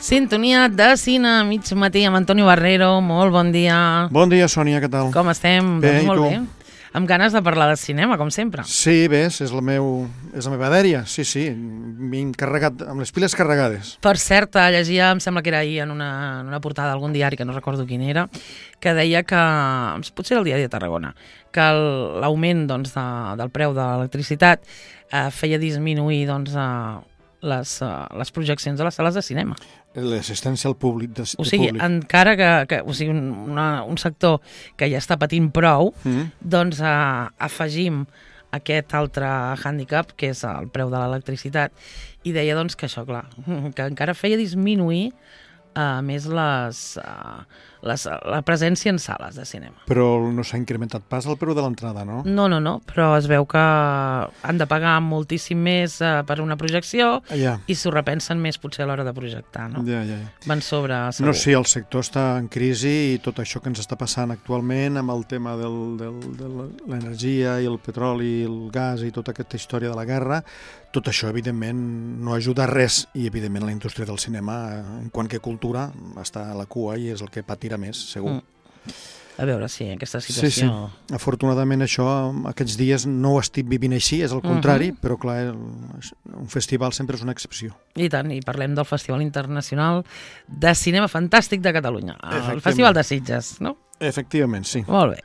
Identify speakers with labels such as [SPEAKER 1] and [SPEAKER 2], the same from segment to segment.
[SPEAKER 1] Sintonia de cine, mig matí amb Antonio Barrero. Molt bon dia.
[SPEAKER 2] Bon dia, Sònia, què tal?
[SPEAKER 1] Com estem?
[SPEAKER 2] Bé,
[SPEAKER 1] doncs molt
[SPEAKER 2] i tu?
[SPEAKER 1] bé. Amb ganes de parlar de cinema, com sempre.
[SPEAKER 2] Sí, bé, és la meva dèria, sí, m'he encarregat amb les piles carregades.
[SPEAKER 1] Per cert, llegia, em sembla que era ahir en una portada d'algun diari, que no recordo quin era, que deia que, potser era el diari de Tarragona, que l'augment del preu de l'electricitat feia disminuir les projeccions a les sales de cinema.
[SPEAKER 2] L'assistència al públic.
[SPEAKER 1] O sigui, encara que un sector que ja està patint prou, doncs afegim aquest altre hàndicap, que és el preu de l'electricitat, i deia doncs que això, clar, que encara feia disminuir més la presència en sales de cinema.
[SPEAKER 2] Però no s'ha incrementat pas el preu de l'entrada, no?
[SPEAKER 1] No, però es veu que han de pagar moltíssim més per una projecció i s'ho repensen més potser a l'hora de projectar, no?
[SPEAKER 2] Ja.
[SPEAKER 1] Van sobre, segur.
[SPEAKER 2] No, sí, el sector està en crisi i tot això que ens està passant actualment amb el tema de l'energia i el petroli i el gas i tota aquesta història de la guerra, tot això, evidentment, no ajuda res i, evidentment, la indústria del cinema, en quant que cultura, està a la cua i és el que patirà més, segur.
[SPEAKER 1] A veure, sí, aquesta situació...
[SPEAKER 2] Sí. Afortunadament, això, aquests dies no ho estic vivint així, és el contrari, però, clar, un festival sempre és una excepció.
[SPEAKER 1] I tant, i parlem del Festival Internacional de Cinema Fantàstic de Catalunya, el Festival de Sitges, no?
[SPEAKER 2] Efectivament, sí.
[SPEAKER 1] Molt bé.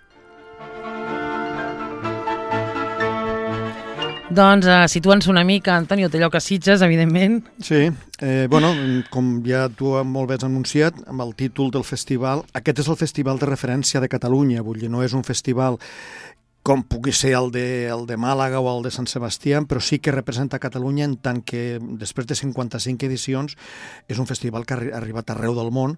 [SPEAKER 1] Doncs situa'ns una mica, Antonio, té lloc a Sitges, evidentment.
[SPEAKER 2] Sí, com ja tu molt bé has anunciat, amb el títol del festival, aquest és el festival de referència de Catalunya, vull dir, no és un festival com pugui ser el de Màlaga o el de Sant Sebastià, però sí que representa Catalunya en tant que després de 55 edicions és un festival que ha arribat arreu del món.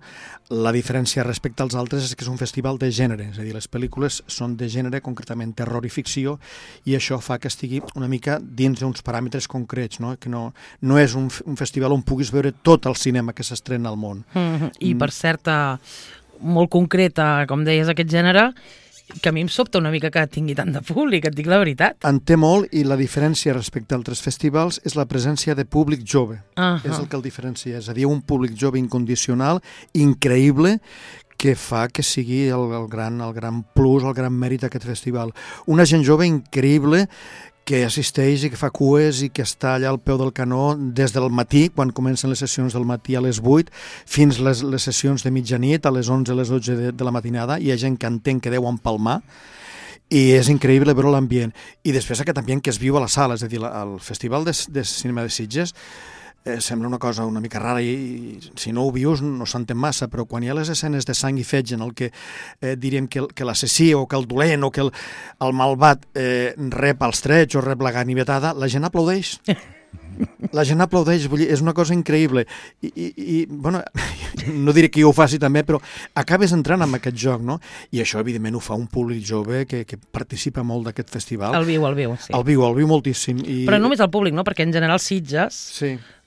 [SPEAKER 2] La diferència respecte als altres és que és un festival de gènere, és a dir, les pel·lícules són de gènere, concretament terror i ficció, i això fa que estigui una mica dins d'uns paràmetres concrets, no? Que no és un festival on puguis veure tot el cinema que s'estrena al món.
[SPEAKER 1] I per cert, molt concreta, com deies, aquest gènere, que a mi em sobta una mica que tingui tant de públic, et dic la veritat.
[SPEAKER 2] En té molt, i la diferència respecte a altres festivals és la presència de públic jove. És el que el diferencia, és a dir, un públic jove incondicional, increïble, que fa que sigui el gran plus, el gran mèrit d'aquest festival. Una gent jove increïble que assisteix i que fa cues i que està allà al peu del canó des del matí, quan comencen les sessions del matí a les 8, fins les sessions de mitjanit, a les 11, a les 12 de la matinada. Hi ha gent que entén que deu empalmar, i és increïble veure l'ambient. I després aquest ambient que es viu a la sala, és a dir, el Festival de Cinema de Sitges sembla una cosa una mica rara i si no ho vius no s'entén massa, però quan hi ha les escenes de sang i fetge en el que diríem que l'assassí o que el dolent o que el malvat rep els trets o rep la ganivetada, la gent aplaudeix. La gent aplaudeix, vull dir, és una cosa increïble i bueno, no diré que jo ho faci també, però acabes entrant en aquest joc, no? I això evidentment ho fa un públic jove que participa molt d'aquest festival.
[SPEAKER 1] El viu, sí.
[SPEAKER 2] El viu moltíssim.
[SPEAKER 1] Però només el públic, no? Perquè en general Sitges,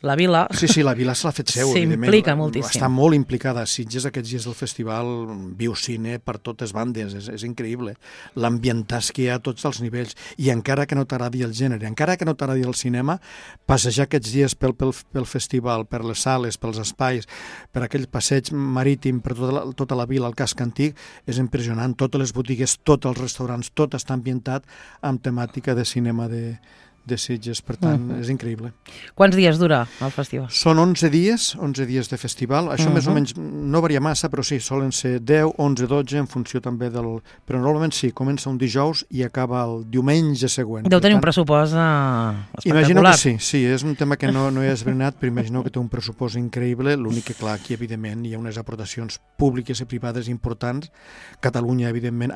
[SPEAKER 1] la vila...
[SPEAKER 2] Sí, la vila se l'ha fet seu, evidentment.
[SPEAKER 1] S'implica moltíssim.
[SPEAKER 2] Està molt implicada. Sitges aquests dies del festival viu cine per totes bandes, és increïble. L'ambientàs que hi ha a tots els nivells, i encara que no t'agradi el gènere, encara que no t'agradi el cinema, passejar aquests dies pel festival, per les sales, pels espais, per aquell passeig marítim, per tota la vila, el casc antic, és impressionant. Totes les botigues, tots els restaurants, tot està ambientat amb temàtica de cinema de Sitges, per tant, és increïble.
[SPEAKER 1] Quants dies dura el festival?
[SPEAKER 2] Són 11 dies de festival. Això més o menys no varia massa, però sí, solen ser 10, 11, 12, en funció també del... Però normalment sí, comença un dijous i acaba el diumenge següent.
[SPEAKER 1] Deu tenir un pressupost espectacular.
[SPEAKER 2] Imagino que sí, és un tema que no he esbrinat, però imagino que té un pressupost increïble. L'únic que, clar, aquí, evidentment, hi ha unes aportacions públiques i privades importants. Catalunya, evidentment,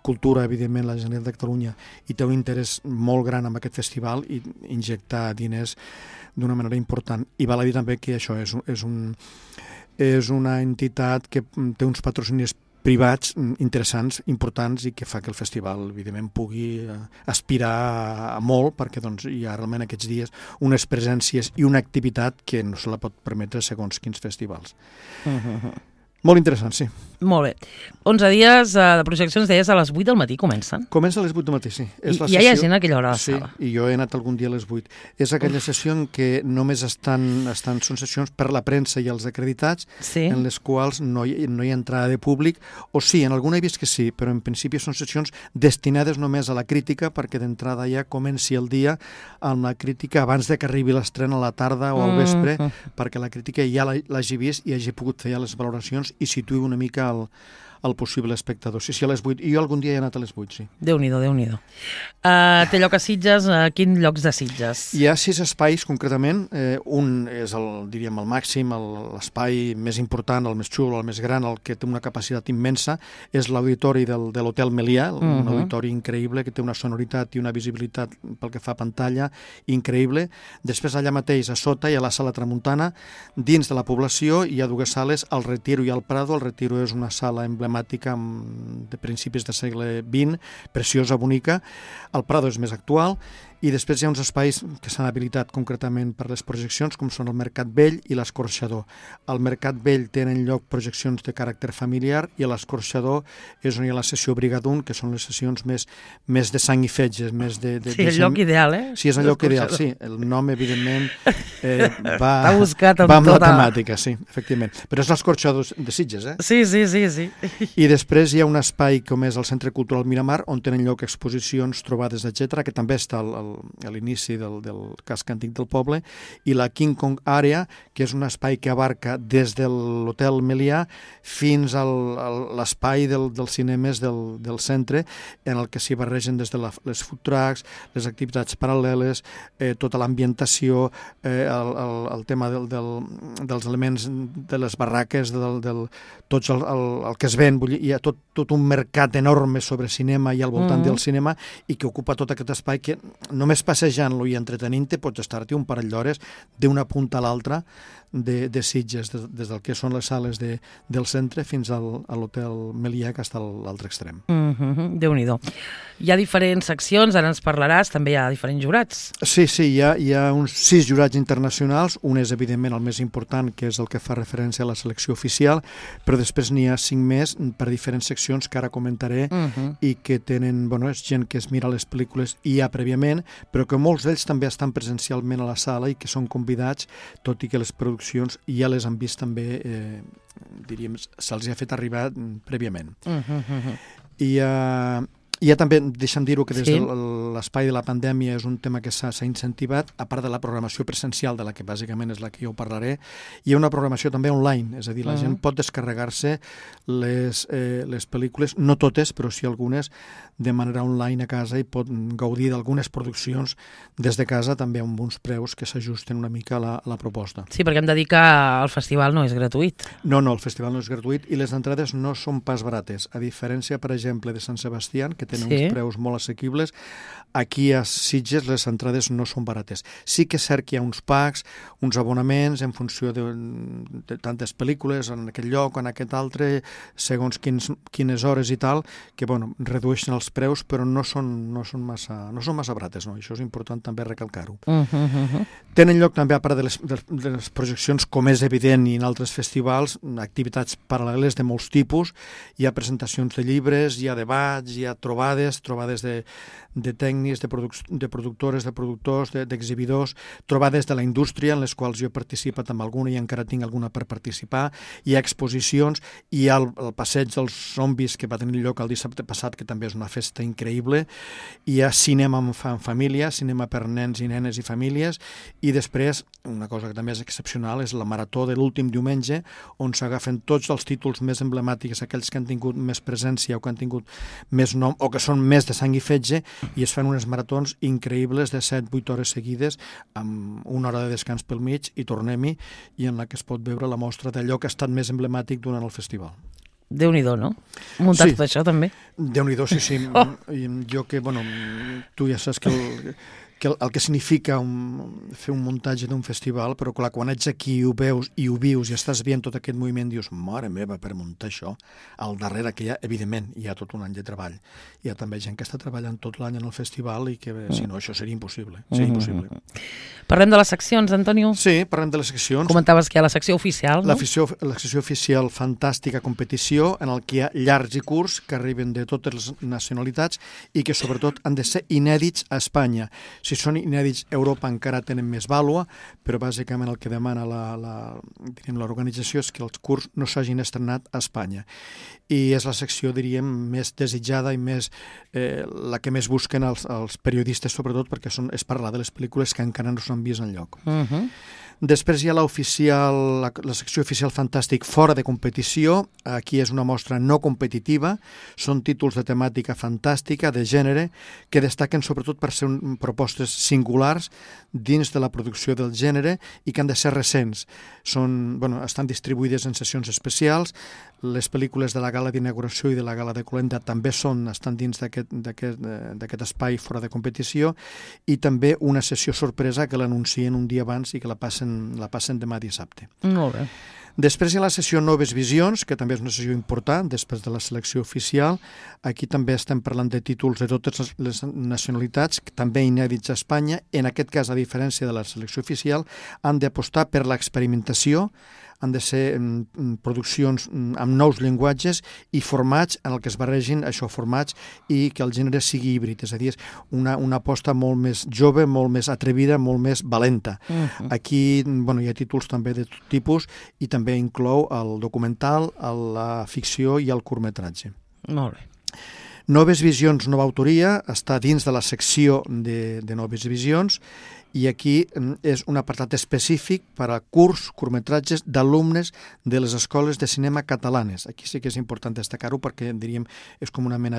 [SPEAKER 2] Cultura, evidentment, la Generalitat de Catalunya, i té un interès molt gran amb aquest festival i injectar diners d'una manera important. I val a dir també que això és una entitat que té uns patrocinis privats interessants, importants, i que fa que el festival, evidentment, pugui aspirar a molt, perquè doncs, hi ha realment aquests dies unes presències i una activitat que no se la pot permetre segons quins festivals. Molt interessant, sí.
[SPEAKER 1] Molt bé. 11 dies de projeccions, deies, a les 8 del matí comencen?
[SPEAKER 2] Comença a les 8 del matí, sí.
[SPEAKER 1] I ja hi ha gent a aquella hora a la sala?
[SPEAKER 2] Sí, i jo he anat algun dia a les 8. És aquella sessió en què només són sessions per la premsa i els acreditats, en les quals no hi ha entrada de públic, o sí, en alguna he vist que sí, però en principi són sessions destinades només a la crítica, perquè d'entrada ja comenci el dia amb la crítica abans de que arribi l'estrena a la tarda o al vespre, perquè la crítica ja l'hagi vist i hagi pogut fer ja les valoracions i situï una mica el possible espectador. Sí, a les 8. I jo algun dia he anat a les 8, sí.
[SPEAKER 1] Déu-n'hi-do, Déu-n'hi-do. Té lloc a Sitges. Quins llocs de Sitges?
[SPEAKER 2] Hi ha 6 espais, concretament. Un és, diríem, el màxim, l'espai més important, el més xulo, el més gran, el que té una capacitat immensa, és l'auditori de l'Hotel Melià, un auditori increïble, que té una sonoritat i una visibilitat pel que fa a pantalla increïble. Després, allà mateix, a sota, hi ha la Sala Tramuntana. Dins de la població hi ha 2 sales, el Retiro i el Prado. El Retiro és una sala emblemàtica de principis del segle XX, preciosa, bonica. El Prado és més actual. I després hi ha uns espais que s'han habilitat concretament per les projeccions, com són el Mercat Vell i l'Escorxador. Al Mercat Vell tenen lloc projeccions de caràcter familiar i a l'Escorxador és on hi ha la sessió Brigadun, que són les sessions més de sang i fetge.
[SPEAKER 1] Sí, el lloc ideal, eh?
[SPEAKER 2] Sí, és el lloc ideal, sí. El nom, evidentment, va
[SPEAKER 1] amb
[SPEAKER 2] la temàtica, sí, efectivament. Però és l'Escorxador de Sitges, eh?
[SPEAKER 1] Sí.
[SPEAKER 2] I després hi ha un espai com és el Centre Cultural Miramar, on tenen lloc exposicions, trobades, etc., que també està a l'inici del casc antic del poble, i la King Kong Area, que és un espai que abarca des de l'Hotel Melià fins a l'espai dels cinemes del centre, en el que s'hi barregen des de les food trucks, les activitats paral·leles, tota l'ambientació, el tema dels elements de les barraques, tot el que es ven. Hi ha tot un mercat enorme sobre cinema i al voltant del cinema, i que ocupa tot aquest espai que només passejant-lo i entretenint-te pots estar-t'hi un parell d'hores d'una punta a l'altra de Sitges, des del que són les sales del centre fins a l'Hotel Melià, que està a l'altre extrem.
[SPEAKER 1] Déu-n'hi-do. Hi ha diferents seccions, ara ens parlaràs, també hi ha diferents jurats.
[SPEAKER 2] Sí, hi ha uns 6 jurats internacionals, un és evidentment el més important, que és el que fa referència a la selecció oficial, però després n'hi ha 5 més per diferents seccions que ara comentaré i que tenen, és gent que es mira les pel·lícules ja prèviament, però que molts d'ells també estan presencialment a la sala i que són convidats, tot i que les produccions ja les han vist també, diríem, se'ls ha fet arribar prèviament. I ja també, deixa'm dir-ho, que des de l'espai de la pandèmia és un tema que s'ha incentivat, a part de la programació presencial, de la que bàsicament és la que jo parlaré, hi ha una programació també online, és a dir, la gent pot descarregar-se les pel·lícules, no totes, però sí algunes, de manera online a casa, i pot gaudir d'algunes produccions des de casa, també amb uns preus que s'ajusten una mica a la proposta.
[SPEAKER 1] Sí, perquè hem de dir que el festival no és gratuït.
[SPEAKER 2] No, el festival no és gratuït i les entrades no són pas barates, a diferència, per exemple, de Sant Sebastià, que tenen uns preus molt assequibles. Aquí a Sitges les entrades no són barates. Sí que és cert que hi ha uns packs, uns abonaments en funció de tantes pel·lícules en aquest lloc o en aquest altre, segons quines hores i tal, que redueixen els preus, però no són massa barates, no? Això és important també recalcar-ho. Tenen lloc també, a part de les projeccions, com és evident, i en altres festivals, activitats paral·leles de molts tipus. Hi ha presentacions de llibres, hi ha debats, hi ha trobades de tècnics, de productores, de productors, d'exhibidors, trobades de la indústria, en les quals jo he participat amb alguna i encara tinc alguna per participar. Hi ha exposicions, hi ha el passeig dels zombis que va tenir lloc el dissabte passat, que també és una festa increïble. Hi ha cinema en família, cinema per nens i nenes i famílies, i després, una cosa que també és excepcional, és la marató de l'últim diumenge, on s'agafen tots els títols més emblemàtics, aquells que han tingut més presència o que han tingut més nom, o que són més de sang i fetge, i es fan unes maratons increïbles de 7-8 hores seguides, amb una hora de descans pel mig, i tornem-hi, i en la que es pot veure la mostra d'allò que ha estat més emblemàtic durant el festival.
[SPEAKER 1] Déu-n'hi-do, no? Muntat tot això, també.
[SPEAKER 2] Déu-n'hi-do, sí. Jo que, tu ja saps el que significa fer un muntatge d'un festival, però clar, quan ets aquí i ho veus i ho vius i estàs veient tot aquest moviment, dius, mare meva, per muntar això, al darrere que hi ha, evidentment, hi ha tot un any de treball. Hi ha també gent que està treballant tot l'any en el festival i que, si no, això seria impossible.
[SPEAKER 1] Parlem de les seccions, Antonio?
[SPEAKER 2] Sí, parlem de les seccions.
[SPEAKER 1] Comentaves que hi ha la secció oficial, no?
[SPEAKER 2] La secció oficial Fantàstica Competició, en el que hi ha llargs i curts que arriben de totes les nacionalitats i que sobretot han de ser inèdits a Espanya. Si són inèdits a Europa encara tenen més vàlua, però bàsicament el que demana l'organització és que els curts no s'hagin estrenat a Espanya. I és la secció, diríem, més desitjada i més la que més busquen els periodistes, sobretot perquè és parlar de les pel·lícules que encara no s'han vist enlloc. Després hi ha la secció oficial Fantàstic fora de competició. Aquí és una mostra no competitiva. Són títols de temàtica fantàstica, de gènere, que destaquen sobretot per ser propostes singulars dins de la producció del gènere i que han de ser recents. Estan distribuïdes en sessions especials. Les pel·lícules de la gala d'inauguració i de la gala de Colenda també estan dins d'aquest espai fora de competició, i també una sessió sorpresa que l'anuncien un dia abans i que la passen demà dissabte.
[SPEAKER 1] Molt bé.
[SPEAKER 2] Després hi ha la sessió Noves Visions, que també és una sessió important, després de la selecció oficial. Aquí també estem parlant de títols de totes les nacionalitats, també inèdits a Espanya. En aquest cas, a diferència de la selecció oficial, han d'apostar per l'experimentació, han de ser produccions amb nous llenguatges i formats en el que es barregin formats i que el gènere sigui híbrid, és a dir, una aposta molt més jove, molt més atrevida, molt més valenta. Aquí hi ha títols també de tot tipus i també inclou el documental, la ficció i el curtmetratge.
[SPEAKER 1] Molt bé.
[SPEAKER 2] Noves Visions, nova autoria, està dins de la secció de Noves Visions, i aquí és un apartat específic per a curtmetratges d'alumnes de les escoles de cinema catalanes. Aquí sí que és important destacar-ho perquè, diríem, és com una mena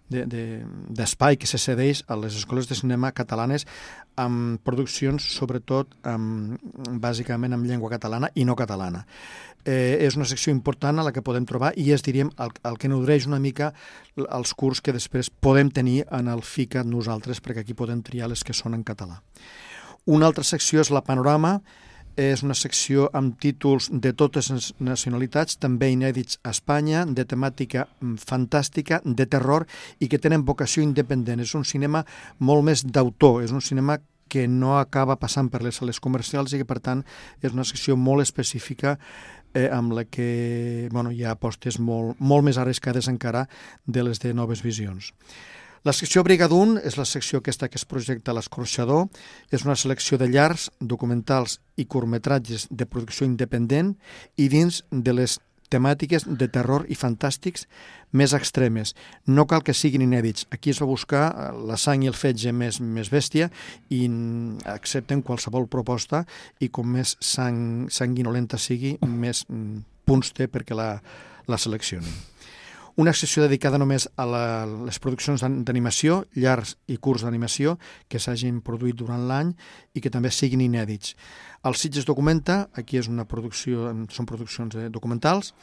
[SPEAKER 2] d'espai que se cedeix a les escoles de cinema catalanes amb produccions, sobretot, bàsicament en llengua catalana i no catalana. És una secció important a la que podem trobar i és, diríem, el que nodreix una mica els curts que després podem tenir en el FICAT nosaltres, perquè aquí podem triar les que són en català. Una altra secció és la Panorama. És una secció amb títols de totes les nacionalitats, també inèdits a Espanya, de temàtica fantàstica, de terror, i que tenen vocació independent. És un cinema molt més d'autor, és un cinema que no acaba passant per les sales comercials i que, per tant, és una secció molt específica amb la que hi ha apostes molt més arriscades encara de les de Noves Visions. La secció Brigadun és la secció aquesta que es projecta a l'Escorxador. És una selecció de llargs, documentals i curtmetratges de producció independent i dins de les temàtiques de terror i fantàstics més extremes. No cal que siguin inèdits. Aquí es va buscar la sang i el fetge més bèstia i accepten qualsevol proposta, i com més sanguinolenta sigui, més punts té perquè la seleccionin. Una secció dedicada només a les produccions d'animació, llargs i curts d'animació, que s'hagin produït durant l'any i que també siguin inèdits. El Sitges Documenta, aquí són produccions documentals,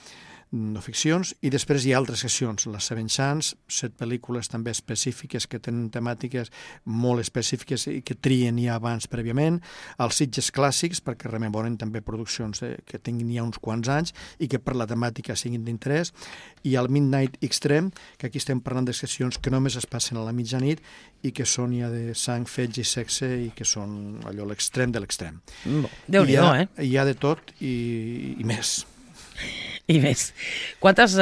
[SPEAKER 2] no ficcions, i després hi ha altres seccions, les Seven Chance, 7 pel·lícules també específiques que tenen temàtiques molt específiques i que trien ja abans prèviament, els Sitges Clàssics, perquè rememoren també produccions que tinguin ja uns quants anys i que per la temàtica siguin d'interès, i el Midnight Extreme, que aquí estem parlant de seccions que només es passen a la mitjanit i que són ja de sang, fetge i sexe i que són allò l'extrem de l'extrem.
[SPEAKER 1] Déu-n'hi-do,
[SPEAKER 2] Hi ha de tot i més.
[SPEAKER 1] I més. Quantes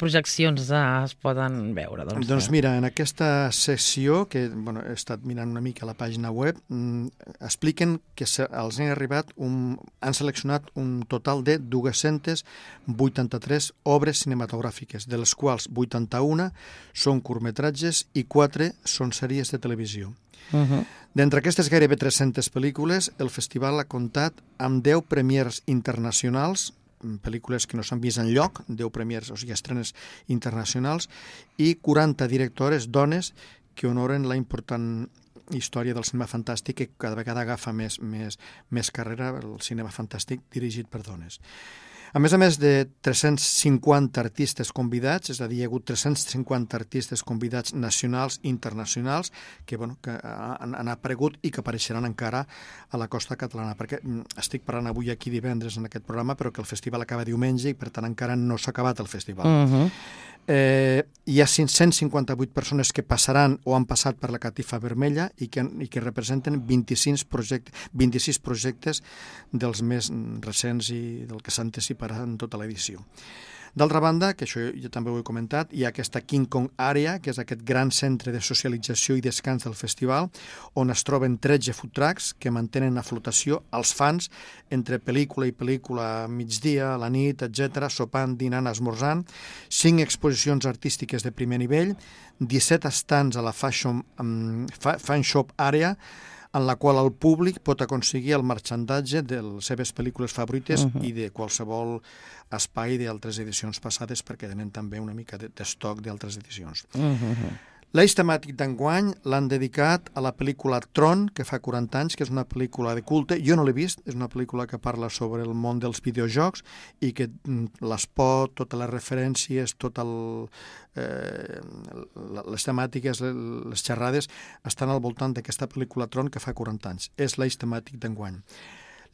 [SPEAKER 1] projeccions es poden veure?
[SPEAKER 2] Doncs mira, en aquesta secció, que he estat mirant una mica a la pàgina web, expliquen que els han seleccionat un total de 283 obres cinematogràfiques, de les quals 81 són curtmetratges i 4 són sèries de televisió. D'entre aquestes gairebé 300 pel·lícules, el festival ha comptat amb 10 premiers internacionals, pel·lícules que no s'han vist enlloc, 10 premiers, o sigui, estrenes internacionals, i 40 directores, dones, que honoren la important història del cinema fantàstic, que cada vegada agafa més carrera, el cinema fantàstic dirigit per dones. A més de 350 artistes convidats, és a dir, hi ha hagut 350 artistes convidats nacionals i internacionals que han aparegut i que apareixeran encara a la costa catalana, perquè estic parlant avui aquí divendres en aquest programa, però que el festival acaba diumenge i per tant encara no s'ha acabat el festival. Hi ha 558 persones que passaran o han passat per la catifa vermella i que representen 26 projectes dels més recents i del que s'anticiparà en tota l'edició. D'altra banda, que això jo també ho he comentat, hi ha aquesta King Kong Area, que és aquest gran centre de socialització i descans del festival, on es troben 13 food trucks que mantenen a flotació els fans entre pel·lícula i pel·lícula, migdia, a la nit, etc., sopant, dinant, esmorzant, 5 exposicions artístiques de primer nivell, 17 estants a la Fan Shop Area, en la qual el públic pot aconseguir el marxandatge de les seves pel·lícules favorites i de qualsevol espai d'altres edicions passades, perquè tenen també una mica d'estoc d'altres edicions. L'eix temàtic d'enguany l'han dedicat a la pel·lícula Tron, que fa 40 anys, que és una pel·lícula de culte. Jo no l'he vist, és una pel·lícula que parla sobre el món dels videojocs i que l'espot, totes les referències, les temàtiques, les xerrades, estan al voltant d'aquesta pel·lícula Tron que fa 40 anys. És l'eix temàtic d'enguany.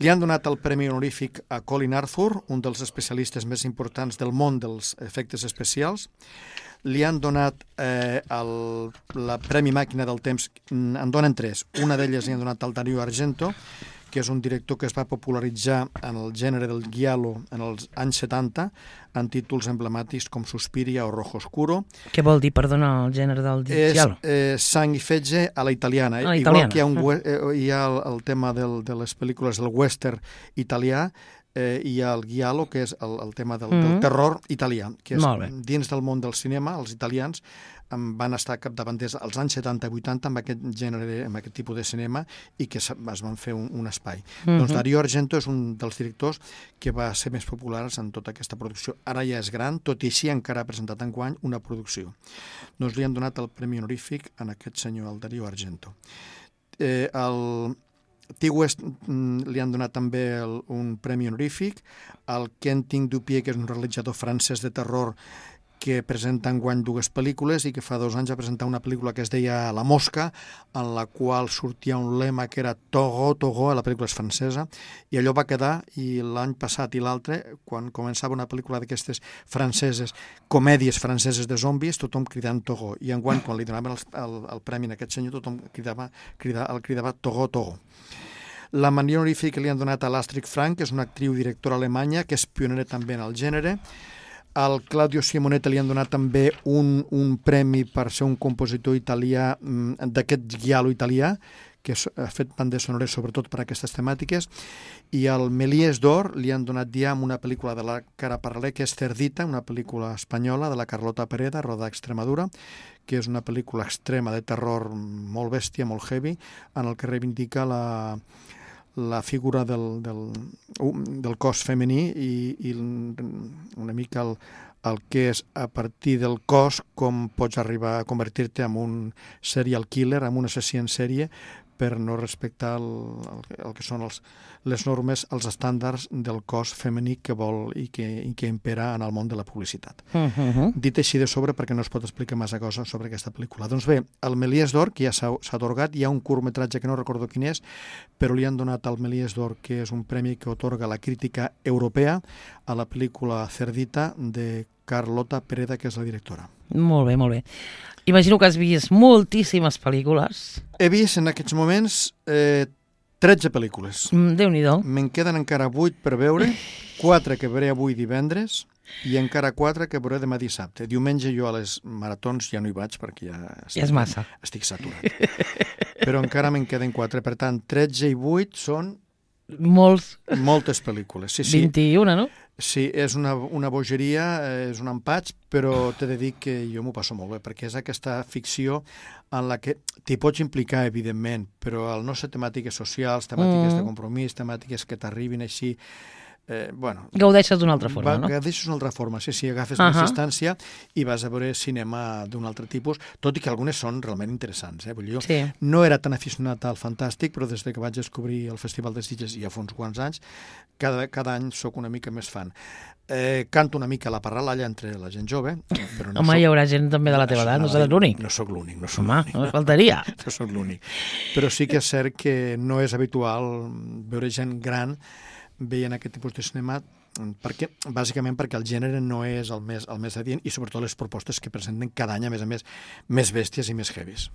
[SPEAKER 2] Li han donat el premi honorífic a Colin Arthur, un dels especialistes més importants del món dels efectes especials. Li han donat el Premi Màquina del Temps, en donen 3. Una d'elles li han donat al Dario Argento, que és un director que es va popularitzar en el gènere del giallo en els anys 70, en títols emblemàtics com Suspiria o Rojo Oscuro.
[SPEAKER 1] Què vol dir, perdona, el gènere del giallo?
[SPEAKER 2] És sang i fetge a la italiana. Igual que hi ha el tema de les pel·lícules del western italià, hi ha el giallo, que és el tema del terror italià, que és dins del món del cinema, els italians van estar capdavanters als anys 70 i 80 amb aquest gènere, amb aquest tipus de cinema, i que es van fer un espai. Doncs Dario Argento és un dels directors que va ser més populars en tota aquesta producció. Ara ja és gran, tot i així encara ha presentat enguany una producció. Doncs li han donat el premi honorífic a aquest senyor, el Dario Argento. Al T-West li han donat també un premi honorífic. El Quentin Dupieux, que és un realitzador francès de terror que presenta enguany 2 pel·lícules i que fa 2 anys va presentar una pel·lícula que es deia La Mosca, en la qual sortia un lema que era Togo, Togo, la pel·lícula és francesa, i allò va quedar, i l'any passat i l'altre, quan començava una pel·lícula d'aquestes franceses, comèdies franceses de zombis, tothom cridant Togo, i enguany, quan li donaven el premi a aquest senyor, tothom cridava Togo, Togo. La menció honorífica que li han donat a l'Astrid Frank, que és una actriu i directora alemanya, que és pionera també en el gènere. Al Claudio Simonetta li han donat també un premi per ser un compositor italià d'aquest giallo italià, que ha fet bandes sonores sobretot per a aquestes temàtiques, i al Méliès d'Or li han donat ja amb una pel·lícula de la que ara parlaré, que és Cerdita, una pel·lícula espanyola de la Carlota Pereda, rodada a Extremadura, que és una pel·lícula extrema de terror molt bèstia, molt heavy, en el que reivindica la figura del cos femení i una mica el que és a partir del cos com pots arribar a convertir-te en un serial killer, en un assassí en sèrie, per no respectar el que són les normes, els estàndards del cos femení que vol i que impera en el món de la publicitat. Dit així de sobre, perquè no es pot explicar massa cosa sobre aquesta pel·lícula. Doncs bé, el Méliès d'Or, que ja s'ha atorgat, hi ha un curtmetratge que no recordo quin és, però li han donat al Méliès d'Or, que és un premi que otorga la crítica europea a la pel·lícula Cerdita de Carlota Pereda, que és la directora.
[SPEAKER 1] Molt bé, molt bé. Imagino que has vist moltíssimes pel·lícules.
[SPEAKER 2] He vist en aquests moments 13 pel·lícules.
[SPEAKER 1] Déu-n'hi-do.
[SPEAKER 2] Me'n queden encara 8 per veure, 4 que veuré avui divendres i encara 4 que veuré demà dissabte. Diumenge jo a les maratons ja no hi vaig perquè ja
[SPEAKER 1] és massa.
[SPEAKER 2] Estic saturat. Però encara me'n queden 4. Per tant, 13 i 8 són moltes pel·lícules. Sí,
[SPEAKER 1] 21, no?
[SPEAKER 2] Sí, és una bogeria, és un empatx, però t'he de dir que jo m'ho passo molt bé, perquè és aquesta ficció en la que t'hi pots implicar, evidentment, però al no ser temàtiques socials, temàtiques de compromís, temàtiques que t'arribin així
[SPEAKER 1] Gaudeixes d'una altra forma, no?
[SPEAKER 2] Gaudeixes d'una altra forma, sí, agafes més distància i vas a veure cinema d'un altre tipus, tot i que algunes són realment interessants. Vull dir, jo no era tan aficionat al fantàstic, però des que vaig descobrir el Festival de Sitges ja fa uns quants anys, cada any sóc una mica més fan. Canto una mica la parralalla entre la gent jove, però no
[SPEAKER 1] hi haurà gent també de la teva edat, no seràs l'únic.
[SPEAKER 2] No sóc l'únic.
[SPEAKER 1] Home, no faltaria.
[SPEAKER 2] No sóc l'únic. Però sí que és cert que no és habitual veure gent gran veient aquest tipus de cinema, bàsicament perquè el gènere no és el més adient i sobretot les propostes que presenten cada any, a més, més bèsties i més heavies.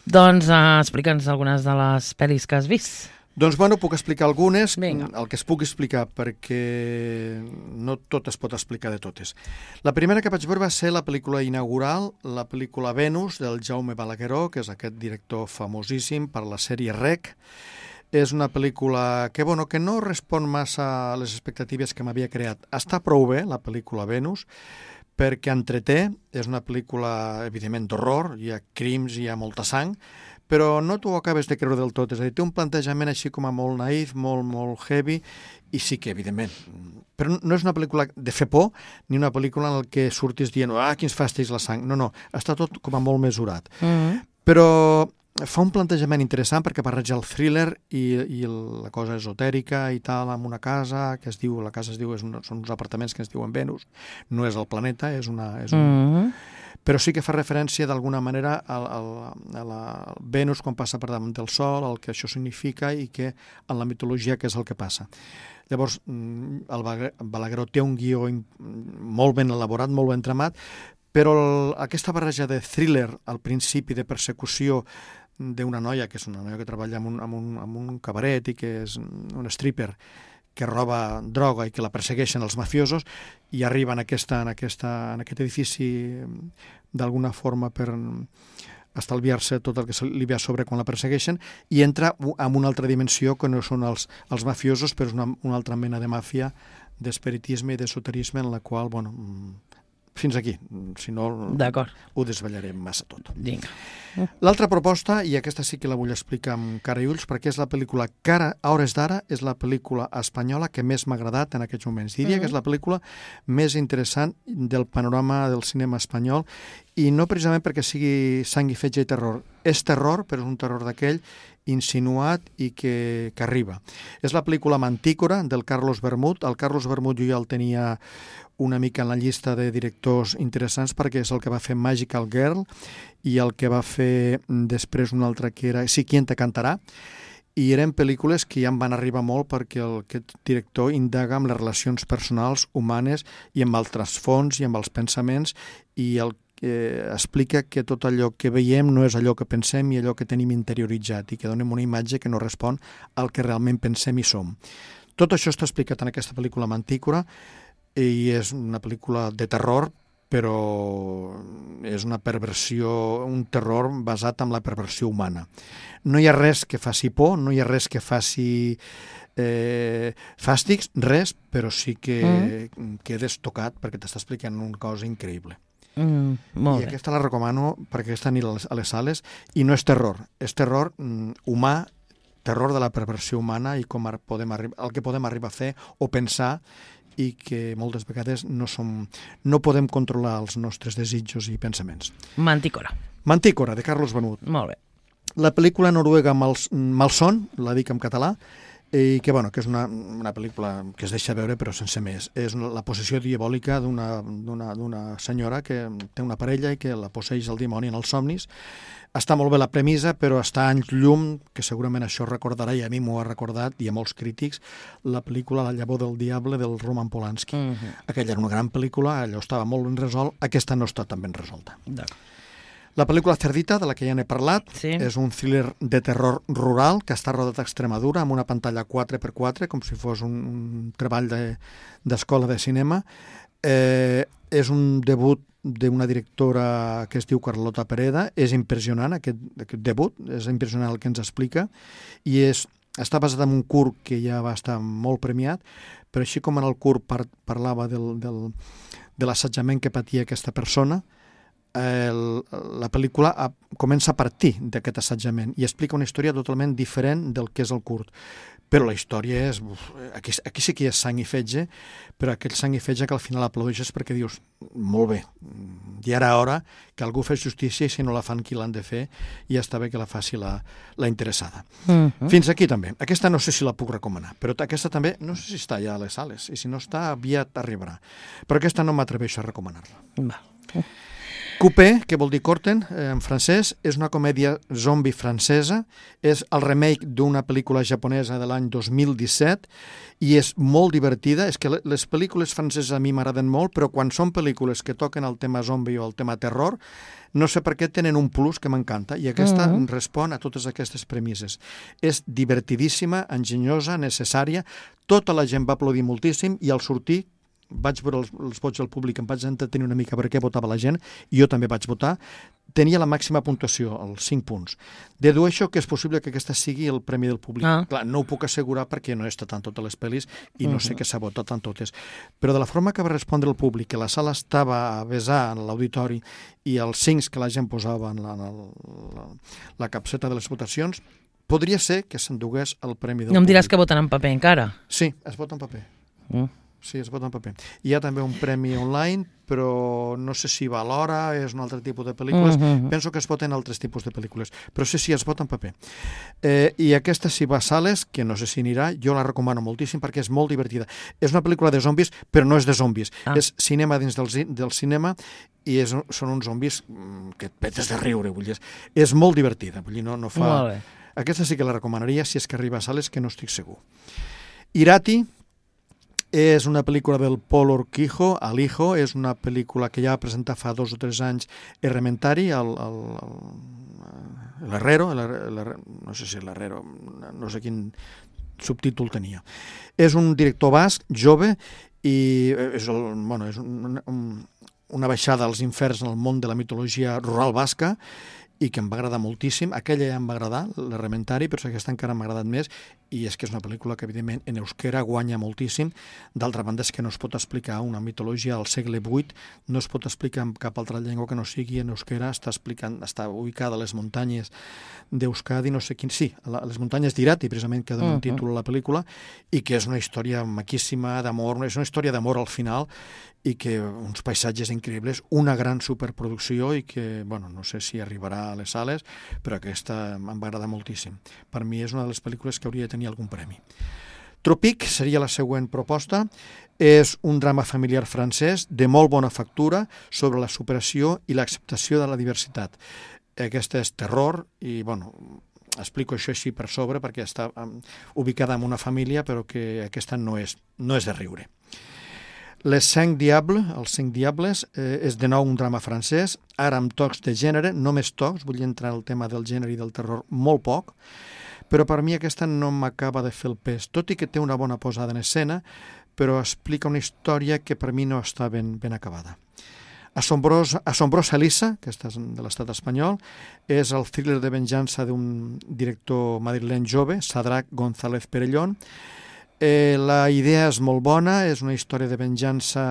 [SPEAKER 1] Doncs explica'ns algunes de les pel·lis que has vist.
[SPEAKER 2] Doncs, puc explicar algunes, el que es pugui explicar, perquè no tot es pot explicar de totes. La primera que vaig veure va ser la pel·lícula inaugural, la pel·lícula Venus, del Jaume Balagueró, que és aquest director famosíssim per la sèrie Rec. És una pel·lícula que no respon massa a les expectatives que m'havia creat. Està prou bé, la pel·lícula Venus, perquè entreté, és una pel·lícula, evidentment, d'horror, hi ha crims, hi ha molta sang, però no t'ho acabes de creure del tot, és a dir, té un plantejament així com a molt naïf, molt heavy, i sí que, evidentment, però no és una pel·lícula de fer por, ni una pel·lícula en què surtis dient, quins fàstics la sang, no, està tot com a molt mesurat. Però fa un plantejament interessant perquè barreja el thriller i la cosa esotèrica i tal, amb una casa que es diu, són uns apartaments que es diuen Venus, no és el planeta, és un... Però sí que fa referència d'alguna manera a la Venus quan passa per damunt del Sol, el que això significa i que en la mitologia què és el que passa. Llavors, el Balagueró té un guió molt ben elaborat, molt ben tramat, però aquesta barreja de thriller al principi, de persecució d'una noia, que és una noia que treballa en un cabaret i que és un stripper, que roba droga i que la persegueixen els mafiosos i arriba en aquest edifici d'alguna forma per estalviar-se tot el que li ve a sobre quan la persegueixen i entra en una altra dimensió que no són els mafiosos, però és una altra mena de màfia, d'espiritisme i d'esoterisme en la qual, fins aquí, si no ho desvetllarem massa tot. L'altra proposta, i aquesta sí que la vull explicar amb cara i ulls, perquè és la pel·lícula que a hores d'ara és la pel·lícula espanyola que més m'ha agradat en aquests moments. Diria que és la pel·lícula més interessant del panorama del cinema espanyol, i no precisament perquè sigui sang i fetge i terror. És terror, però és un terror d'aquell insinuat i que arriba. És la pel·lícula Mantícora, del Carlos Bermud. El Carlos Bermud jo ja el tenia una mica en la llista de directors interessants perquè és el que va fer Magical Girl i el que va fer després un altre que era Si quien te cantarà, i eren pel·lícules que ja em van arribar molt perquè aquest director indaga amb les relacions personals, humanes i amb el trasfons i amb els pensaments i explica que tot allò que veiem no és allò que pensem i allò que tenim interioritzat i que donem una imatge que no respon al que realment pensem i som. Tot això està explicat en aquesta pel·lícula Mantícora i és una pel·lícula de terror, però és una perversió, un terror basat en la perversió humana. No hi ha res que faci por, no hi ha res que faci fàstics, res, però sí que quedes tocat perquè t'està explicant una cosa increïble. I aquesta la recomano perquè aquesta anirà a les sales i no és terror, és terror humà, terror de la perversió humana i el que podem arribar a fer o pensar i que moltes vegades no podem controlar els nostres desitjos i pensaments.
[SPEAKER 1] Mantícora,
[SPEAKER 2] de Carlos Bermud.
[SPEAKER 1] Molt bé.
[SPEAKER 2] La pel·lícula noruega Malson, la dic en català, i que és una pel·lícula que es deixa veure però sense més. És la possessió diabòlica d'una senyora que té una parella i que la posseix el dimoni en els somnis. Està molt bé la premissa, però està anys llum, que segurament això recordarà, i a mi m'ho ha recordat, i a molts crítics, la pel·lícula La llavor del diable del Roman Polanski. Aquella era una gran pel·lícula, allò estava molt ben resolt, aquesta no està tan ben resolta. La pel·lícula Cerdita, de la que ja n'he parlat, és un thriller de terror rural que està rodat a Extremadura amb una pantalla 4x4, com si fos un treball d'escola de cinema. És un debut d'una directora que es diu Carlota Pereda. És impressionant aquest debut, és impressionant el que ens explica, i està basat en un curt que ja va estar molt premiat, però així com en el curt parlava de l'assetjament que patia aquesta persona, la pel·lícula comença a partir d'aquest assetjament i explica una història totalment diferent del que és el curt. però la història és... Aquí sí que hi ha sang i fetge, però aquell sang i fetge que al final aplaudeixes perquè dius, molt bé, ja era hora que algú fes justícia i si no la fan qui l'han de fer, ja està bé que la faci la interessada. Fins aquí també. Aquesta no sé si la puc recomanar, però aquesta també, no sé si està ja a les sales, i si no està, aviat arribarà. Però aquesta no m'atreveixo a recomanar-la. Coupé, que vol dir Corten, en francès, és una comèdia zombi francesa, és el remake d'una pel·lícula japonesa de l'any 2017 i és molt divertida. És que les pel·lícules franceses a mi m'agraden molt, però quan són pel·lícules que toquen el tema zombi o el tema terror, no sé per què tenen un plus que m'encanta i aquesta respon a totes aquestes premisses. És divertidíssima, enginyosa, necessària, tota la gent va aplaudir moltíssim i al sortir vaig veure els vots del públic, em vaig entretenir una mica per què votava la gent, i jo també vaig votar, tenia la màxima puntuació, els 5 punts. Dedueixo que és possible que aquesta sigui el premi del públic. Clar, no ho puc assegurar perquè no he estat en totes les pel·lis i no sé què s'ha votat en totes. Però de la forma que va respondre el públic, que la sala estava a besar en l'auditori i els 5 que la gent posava en la capseta de les votacions, podria ser que s'endugués el premi del públic.
[SPEAKER 1] No em diràs que voten en paper encara?
[SPEAKER 2] Sí, es vota en paper. Sí, es vota en paper. Hi ha també un premi online, però no sé si va a l'hora, és un altre tipus de pel·lícules. Penso que es voten altres tipus de pel·lícules, però sí, es vota en paper. I aquesta, si va a sales, que no sé si anirà, jo la recomano moltíssim perquè és molt divertida. És una pel·lícula de zombis, però no és de zombis. És cinema dins del cinema i són uns zombis que et petes de riure. Vull dir, és molt divertida. Vull dir, no fa... Aquesta sí que la recomanaria si és que arriba a sales, que no estic segur. Irati és una pel·lícula del Paul Urquijo, El Hijo, és una pel·lícula que ja va presentar fa 2 o 3 anys Herrementari, l'Herrero, no sé si l'Herrero, no sé quin subtítol tenia. És un director basc, jove, i és una baixada als inferns en el món de la mitologia rural basca, i que em va agradar moltíssim. Aquella ja em va agradar, l'Herrementari, però aquesta encara m'ha agradat més, i és que és una pel·lícula que, evidentment, en euskera guanya moltíssim. D'altra banda, és que no es pot explicar una mitologia al segle VIII, no es pot explicar en cap altra llengua que no sigui en euskera, està ubicada a les muntanyes d'Euskadi, no sé quin... Sí, a les muntanyes d'Irati, precisament, que dona un títol a la pel·lícula, i que és una història maquíssima d'amor, és una història d'amor al final, i que uns paisatges increïbles, una gran superproducció i que, bueno, no sé si arribarà a les sales, però aquesta em va agradar moltíssim. Per mi és una de les pel·lícules que hauria de tenir algun premi. Tropic seria la següent proposta. És un drama familiar francès de molt bona factura sobre la superació i l'acceptació de la diversitat. Aquesta és terror i, bueno, explico això així per sobre perquè està ubicada en una família, però que aquesta no és de riure. Les 5 Diables, els 5 Diables, és de nou un drama francès, ara amb tocs de gènere, només tocs, vull entrar en el tema del gènere i del terror molt poc, però per mi aquesta no m'acaba de fer el pes, tot i que té una bona posada en escena, però explica una història que per mi no està ben acabada. Asombrosa Elisa, que és de l'estat espanyol, és el thriller de venjança d'un director madrileny jove, Sadrach González Perellón. La idea és molt bona, és una història de venjança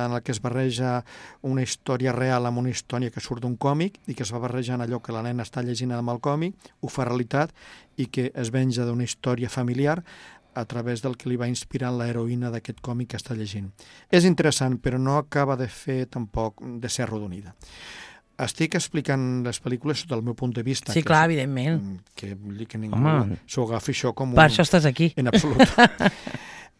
[SPEAKER 2] en la que es barreja una història real amb una història que surt d'un còmic i que es va barrejant allò que la nena està llegint amb el còmic, ho fa realitat i que es venja d'una història familiar a través del que li va inspirant l'heroïna d'aquest còmic que està llegint. És interessant, però no acaba de fer tampoc de ser arrodonida. Estic explicant les pel·lícules sota el meu punt de vista.
[SPEAKER 1] Sí, clar, evidentment.
[SPEAKER 2] Que vull dir que ningú s'ho agafi això com un...
[SPEAKER 1] Per això estàs aquí.
[SPEAKER 2] En absolut.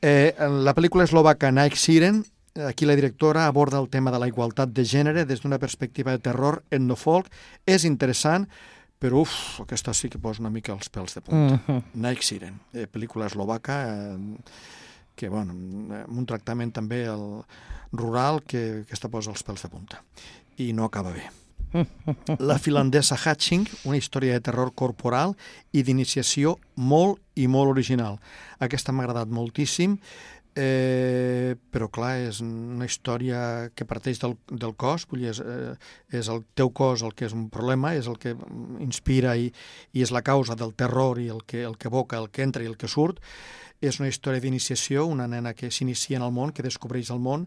[SPEAKER 2] La pel·lícula eslovaca Night Siren, aquí la directora aborda el tema de la igualtat de gènere des d'una perspectiva de terror etnofolk. És interessant, però aquesta sí que posa una mica els pèls de punta. Night Siren, pel·lícula eslovaca, que, bueno, amb un tractament també rural que aquesta posa els pèls de punta. I no acaba bé. La finlandesa Hatching, una història de terror corporal i d'iniciació molt i molt original. Aquesta m'ha agradat moltíssim, però clar, és una història que parteix del cos, vull dir, és el teu cos el que és un problema, és el que inspira i és la causa del terror i el que evoca, el que entra i el que surt. És una història d'iniciació, una nena que s'inicia en el món, que descobreix el món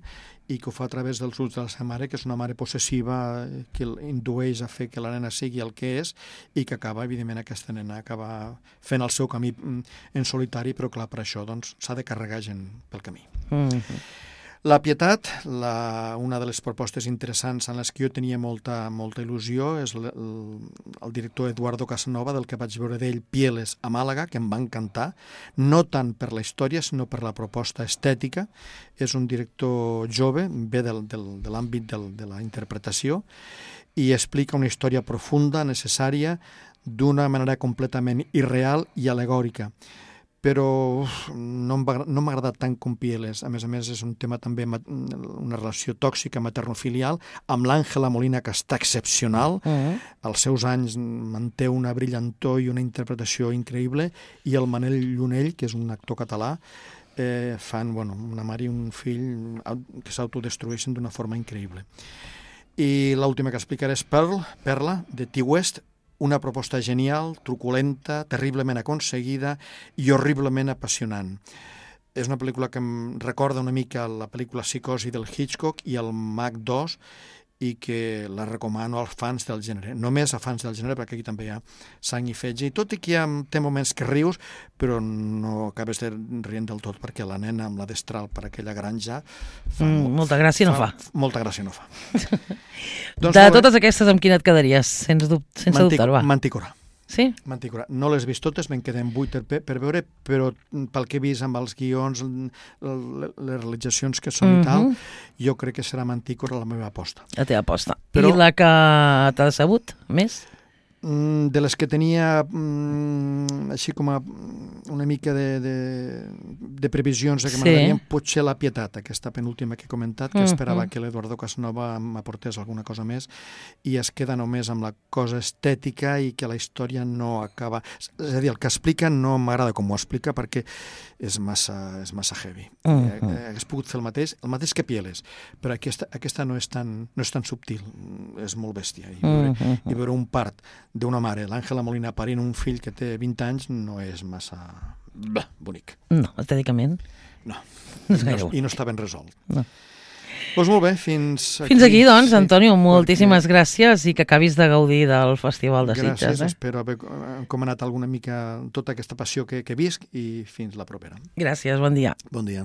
[SPEAKER 2] i que ho fa a través dels ulls de la seva mare, que és una mare possessiva que indueix a fer que la nena sigui el que és i que acaba, evidentment, aquesta nena acaba fent el seu camí en solitari, però clar, per això doncs, s'ha de carregar gent pel camí. La Pietat, una de les propostes interessants en les que jo tenia molta il·lusió, és el director Eduardo Casanova, del que vaig veure d'ell Pieles a Màlaga, que em va encantar, no tant per la història, sinó per la proposta estètica. És un director jove, ve de l'àmbit de la interpretació, i explica una història profunda, necessària, d'una manera completament irreal i alegòrica. Però no m'ha agradat tant com Pieles. A més, és un tema també, una relació tòxica maternofilial, amb l'Àngela Molina, que està excepcional. Als seus anys manté una brillantor i una interpretació increïble, i el Manel Llunell, que és un actor català, fan una mare i un fill que s'autodestrueixen d'una forma increïble. I l'última que explicaré és Perla, de T-West, una proposta genial, truculenta, terriblement aconseguida i horriblement apassionant. És una pel·lícula que em recorda una mica la pel·lícula Psicosi del Hitchcock i el Mag 2, i que la recomano als fans del gènere. Només a fans del gènere, perquè aquí també hi ha sang i fetge, i tot i que té moments que rius, però no acabes de rient del tot, perquè la nena amb la destral per aquella granja
[SPEAKER 1] molta gràcia no fa.
[SPEAKER 2] Molta gràcia no fa.
[SPEAKER 1] De totes aquestes, amb quina et quedaries? Sense dubtar-ho.
[SPEAKER 2] Mantícora.
[SPEAKER 1] Sí?
[SPEAKER 2] Mantícora. No les he vist totes, me'n queden 8 per veure, però pel que he vist amb els guions, les realitzacions que són i tal, jo crec que serà Mantícora la meva aposta.
[SPEAKER 1] La teva aposta. I la que t'ha decebut més?
[SPEAKER 2] De les que tenia així com una mica de previsions que m'agradarien, potser La Pietat, aquesta penúltima que he comentat, que esperava que l'Eduardo Casanova m'aportés alguna cosa més, i es queda només amb la cosa estètica i que la història no acaba. És a dir, el que explica no m'agrada com ho explica, perquè és massa heavy. Hagués pogut fer el mateix que Pieles, però aquesta no és tan subtil, és molt bèstia. I veure un part d'una mare, l'Àngela Molina, parint un fill que té 20 anys, no és massa bonic.
[SPEAKER 1] No, estèticament.
[SPEAKER 2] No. I no està ben resolt. Doncs molt bé, fins aquí.
[SPEAKER 1] Fins aquí, doncs, Antonio, moltíssimes gràcies i que acabis de gaudir del Festival de Sitges.
[SPEAKER 2] Gràcies, espero haver encomanat alguna mica tota aquesta passió que visc, i fins la propera.
[SPEAKER 1] Gràcies, bon dia.
[SPEAKER 2] Bon dia.